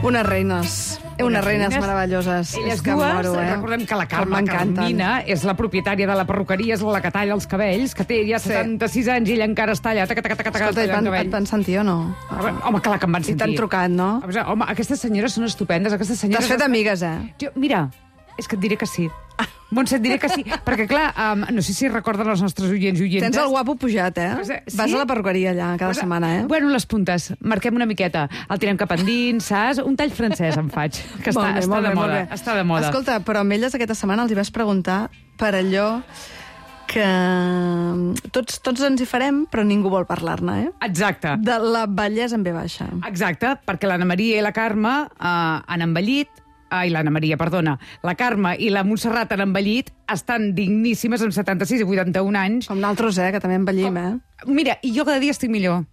Unes reines. Unes reines meravelloses. Elles que dues, moro, eh? recordem que la Carme Carmina és la propietària de la perruqueria, és la que talla els cabells, que té ja setanta-sis anys i ella encara està allà, taca, taca, taca, taca, Escolta, tallant et van, et van sentir o no? Home, clar que em van sentir. I t'han trucat, no? Home, aquestes senyores són estupendes. T'has fet amigues, eh? Jo, mira, és que et diré que sí. Montse, et diré que sí, perquè clar, um, no sé si recorden els nostres oients i oientes. Tens el guapo pujat, eh? Sí? Vas a la perruqueria allà cada pues, setmana, eh? Bueno, les puntes, marquem una miqueta. El tirem cap endins, saps? Un tall francès em faig, que està, bé, està, de bé, moda, està de moda. Escolta, però amb elles aquesta setmana els hi vas preguntar per allò que tots, tots ens hi farem, però ningú vol parlar-ne, eh? Exacte. De la bellesa en ve baixa. Exacte, perquè l'Anna Maria i la Carme eh, han envellit, ai, l'Anna Maria, perdona, la Carme i la Montserrat han envellit, estan digníssimes amb setanta-sis i vuitanta-un anys. Com nosaltres, eh, que també envellim, eh? Mira, i jo cada dia estic millor.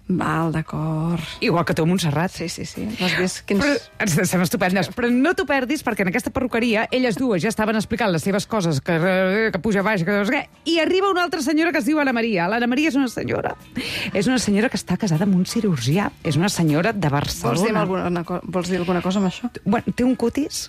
Val, d'acord. Igual que tu, Montserrat. Sí, sí, sí. No has vist quins... Però, estem estupendes. Però no t'ho perdis, perquè en aquesta perruqueria elles dues ja estaven explicant les seves coses, que, que puja baix, que no sé què, i arriba una altra senyora que es diu Anna Maria. L'Anna Maria és una senyora. És una senyora que està casada amb un cirurgià. És una senyora de Barcelona. Vols dir alguna, vols dir alguna cosa amb això? Bueno, té un cutis...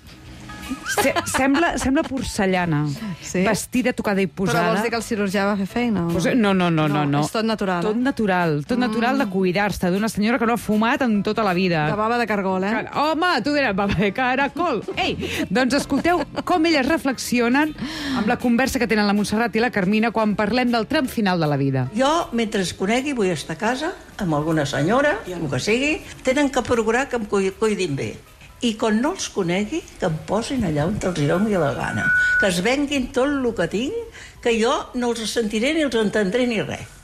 Se, sembla, sembla porcellana, sí? Vestida, tocada i posada. Però vols dir que el cirurgià va fer feina? O no? Pues, no, no, no, no, no. És tot natural, Tot eh? natural, tot mm. natural de cuidar-se, d'una senyora que no ha fumat en tota la vida. De baba de cargol, eh? Car Home, tu diràs baba de caracol. Ei, doncs escolteu com elles reflexionen amb la conversa que tenen la Montserrat i la Carmina quan parlem del tram final de la vida. Jo, mentre es conegui, vull estar a casa amb alguna senyora, i el que sigui, tenen que procurar que em cuidin bé. I quan no els conegui, que em posin allà on els doni la gana. Que es venguin tot el que tinc, que jo no els sentiré ni els entendré ni res.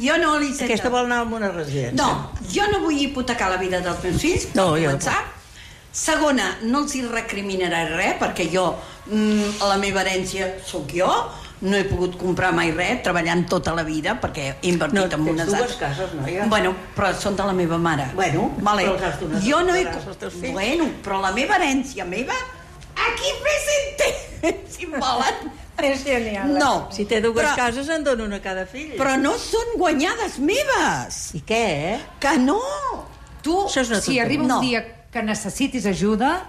Jo no li sento... Aquesta vol anar a una residència. No, jo no vull hipotecar la vida dels meus fills, per no, començar. Jo... Segona, no els hi recriminaré res, perquè jo, mm, la meva herència sóc jo, no he pogut comprar mai res, treballant tota la vida, perquè he invertit no, en unes... No, tens dues cases, noia. Bueno, però són de la meva mare. Bueno, vale. però els has donat jo no he... als teus fills. Bueno, però la meva herència meva, aquí presente, si em volen. És genial. No. Si té dues però, cases, en dono una a cada fill. Però no són guanyades meves. I què, eh? Que no. Tu, si arriba un no. dia que necessitis ajuda...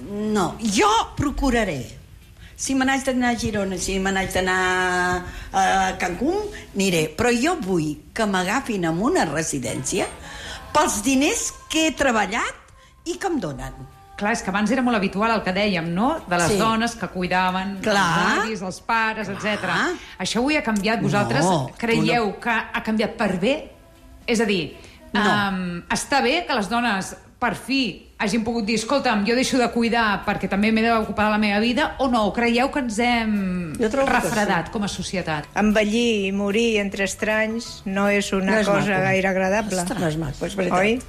No, jo procuraré Si me n'haig d'anar a Girona, si me n'haig d'anar a Cancún, aniré. Però jo vull que m'agafin en una residència pels diners que he treballat i que em donen. Clar, és que abans era molt habitual el que dèiem, no? De les Sí. dones que cuidaven Clar. els avis, els pares, etcètera. Això avui ha canviat. Vosaltres No, creieu no. que ha canviat per bé? És a dir, No. um, està bé que les dones per fi hagin pogut dir escolta'm, jo deixo de cuidar perquè també m'he d'ocupar de la meva vida, o no? Creieu que ens hem refredat com a societat? Envellir i morir entre estranys no és una No és cosa maco. gaire agradable. No és maco, és veritat. Oi?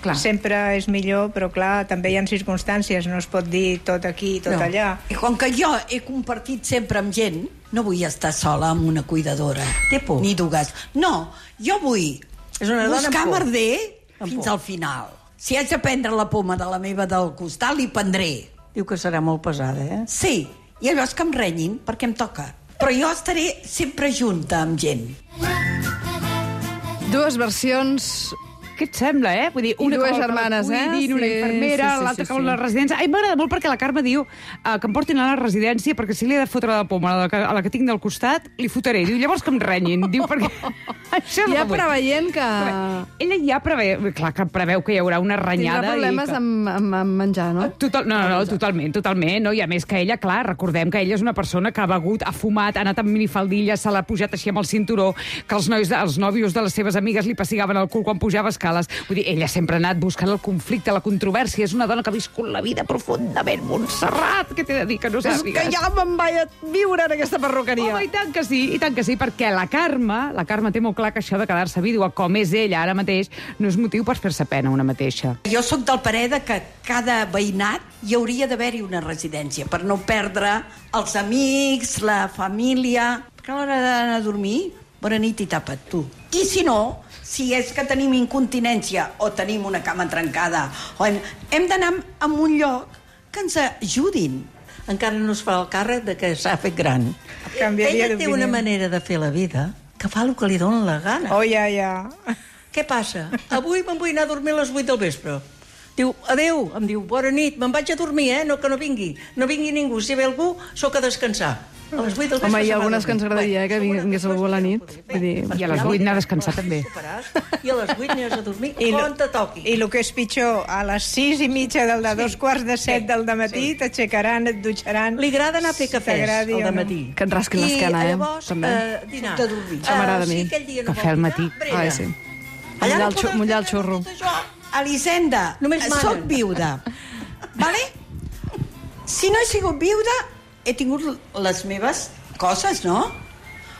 Clar. Sempre és millor, però clar, també hi ha circumstàncies, no es pot dir tot aquí i tot No. allà. I com que jo he compartit sempre amb gent, no vull estar sola amb una cuidadora. Té por. Ni dues. No, jo vull És una dona amb buscar por. merder Amb fins por. al final. Si haig de prendre la poma de la meva del costat, li prendré. Diu que serà molt pesada, eh? Sí, i allò és que em renyin perquè em toca. Però jo estaré sempre junta amb gent. Dues versions... Què et sembla, eh? Vull dir, I una dues que vol que la germanes, eh? cuidin, una Sí, infermera, sí, sí, l'altra sí, que vol sí. la residència. Ai, m'agrada molt perquè la Carme diu uh, que em portin a la residència perquè si li he de fotre la poma a la que, a la que tinc del costat, li fotré. Diu, llavors que em renyin. Diu, perquè... Això és Ja el que vull. preveient que... Ella ja preveu, clar que preveu que hi haurà una renyada. Tindrà problemes i que... amb, amb, amb menjar, no? Total, no, no, no, totalment, totalment. No? I a més que ella, clar, recordem que ella és una persona que ha begut, ha fumat, ha anat amb minifaldilla, se l'ha pujat així amb el cinturó, que els nois, els nòvios de les seves amigues li pessigaven el cul quan pujava escales. Vull dir, ella sempre ha anat buscant el conflicte, la controvèrsia. És una dona que ha viscut la vida profundament. Montserrat, què t'he de dir que no És sàpigues? que ja me'n vaig a viure en aquesta perruqueria. Home, i tant que sí, i tant que sí, perquè la Carme, la Carme té molt clar que això de quedar-se vídua, com és ella ara mateix, no és motiu per fer-se pena una mateixa. Jo sóc del parer de que cada veïnat hi hauria d'haver-hi una residència per no perdre els amics, la família. Perquè a l'hora d'anar a dormir, bona nit i tapa't tu. I si no, si és que tenim incontinència o tenim una cama trencada, o hem, hem d'anar a un lloc que ens ajudin. Encara no es fa el càrrec de que s'ha fet gran. Canviaria Ella té d'opinió. una manera de fer la vida que fa el que li dona la gana. Oh, ja, ja. Què passa? Avui me'n vull anar a dormir a les vuit del vespre. Diu, adeu, em diu, bona nit, me'n vaig a dormir, eh? No, que no vingui. No vingui ningú. Si ve algú, sóc a descansar. A les vuit del vespre... Home, hi se ha va algunes que ens dormir. agradaria eh, que vingués algú a la nit. Vull dir... I a les vuit anar a descansar també. I a les vuit aniràs a dormir I lo- quan te toqui. I el que és pitjor, a les sis i mitja del de dos quarts de set del dematí t'aixecaran, et dutxaran... Li agrada anar a fer cafès t'agradi al o no. dematí. Que et rasquin l'esquena, eh? I llavors, També. eh, dinar. De dormir. Això m'agrada a mi. Si aquell dia no Cafè vol al matí. dinar, brega. Ah, sí. Allà Mullar no el, xu- poden mullar el fer xurro. tot això. Elisenda, Només manen. soc viuda, vale? Si no he sigut viuda, he tingut les meves coses, no?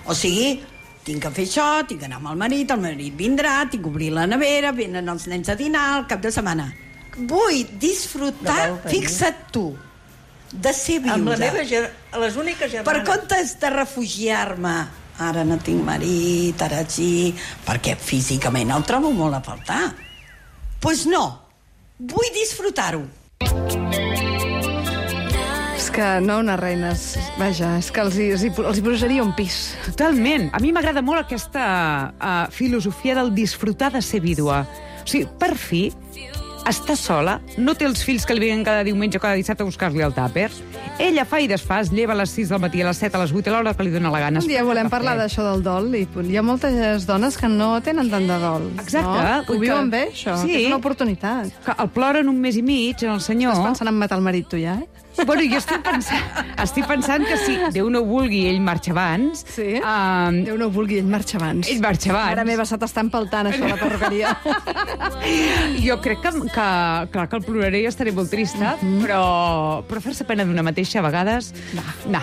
O sigui, tinc que fer això, tinc que anar amb el marit, el marit vindrà, tinc que obrir la nevera, venen els nens a dinar al cap de setmana. Vull disfrutar, No val tenir. fixa't tu, de ser viuda. Amb la meva ger... les úniques Per germanes... comptes de refugiar-me, ara no tinc marit, ara sí, perquè físicament el trobo molt a faltar. Doncs pues no, vull disfrutar-ho. És que no unes reines, vaja, és que els hi, els hi, els hi posaria un pis. Totalment. A mi m'agrada molt aquesta uh, filosofia del disfrutar de ser vídua. O sigui, per fi, està sola, no té els fills que li venen cada diumenge o cada dissabte a buscar-li el tàper. Ella fa i desfà, es lleva a les sis del matí, a les set, a les vuit, a l'hora que li dona la gana. Un dia volem parlar d'això del dol i hi ha moltes dones que no tenen tant de dol. Exacte. No? Ho Vull viuen que- bé, això? Sí. Que és una oportunitat. Que el ploren un mes i mig, en el senyor... Estàs pensant en matar el marit, tu, ja? Bueno, jo estic pensant, estic pensant que si Déu no ho vulgui, ell marxa abans... Sí? Um, Déu no ho vulgui, ell marxa abans. Ell marxa abans. Mare meva, se t'està empaltant, això, la perruqueria. Jo crec que, que, clar, que el ploraré i estaré molt trista, mm -hmm. però, però fer-se pena d'una mateixa a vegades... No. no.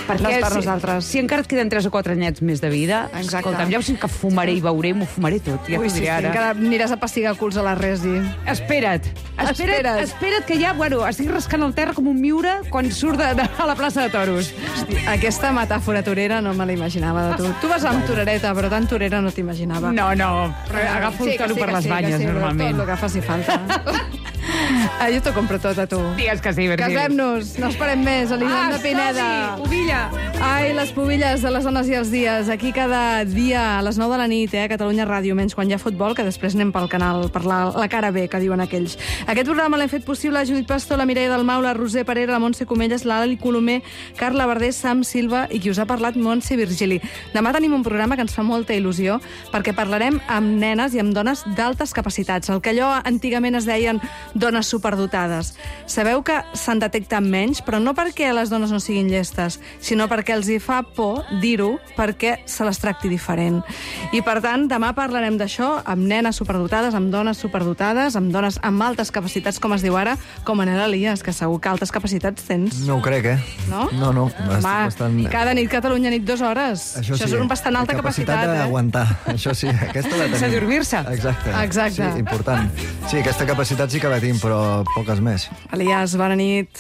Perquè No és per si, nosaltres. si encara et queden tres o quatre anyets més de vida, Exacte. escolta'm, ja ho sé que fumaré i beuré, m'ho fumaré tot, ja Ui, t'ho sí, diré sí, ara. encara aniràs a pastigar culs a la Resi. Espera't, espera't, Espera't. espera't que ja, bueno, estic rascant el terra com un miure quan surt de, de, a la plaça de toros. Hosti, aquesta metàfora torera no me la imaginava de tu. Tu vas amb torereta, però tan torera no t'imaginava. No, no, però agafo el Sí, que toro sí, per que les sí, que banyes, sí, però normalment. Tot el que faci falta. Ah, jo t'ho compro tot, a tu. Digues que sí, Virgili. Casem-nos, no esperem més, Elisenda Ah, Pineda. som-hi, pubilla. Ai, les pubilles de les dones i els dies. Aquí cada dia a les nou de la nit, eh, a Catalunya Ràdio, menys quan hi ha futbol, que després anem pel canal, per la, la cara B, que diuen aquells. Aquest programa l'hem fet possible a Judit Pastor, la Mireia Dalmau, la Roser Parera, la Montse Comelles, l'Ali Colomer, Carla Verdés, Sam Silva i qui us ha parlat, Montse Virgili. Demà tenim un programa que ens fa molta il·lusió perquè parlarem amb nenes i amb dones d'altes capacitats, el que allò antigament es deien dones superdotades. Sabeu que se'n detecten menys, però no perquè les dones no siguin llestes, sinó perquè els hi fa por dir-ho, perquè se les tracti diferent. I per tant, demà parlarem d'això amb nenes superdotades, amb dones superdotades, amb dones amb altes capacitats, com es diu ara, com en Elias, que segur que altes capacitats tens. No ho crec, eh? No? No, no. Home, bastant... cada nit Catalunya nit dues hores. Això, Això això sí, és una bastant alta capacitat, capacitat eh? d'aguantar. Això sí, aquesta la tenim. Sense dormir-se. Exacte. Exacte. Sí, important. Sí, aquesta capacitat sí que la tinc, però poques més. Elias, bona nit.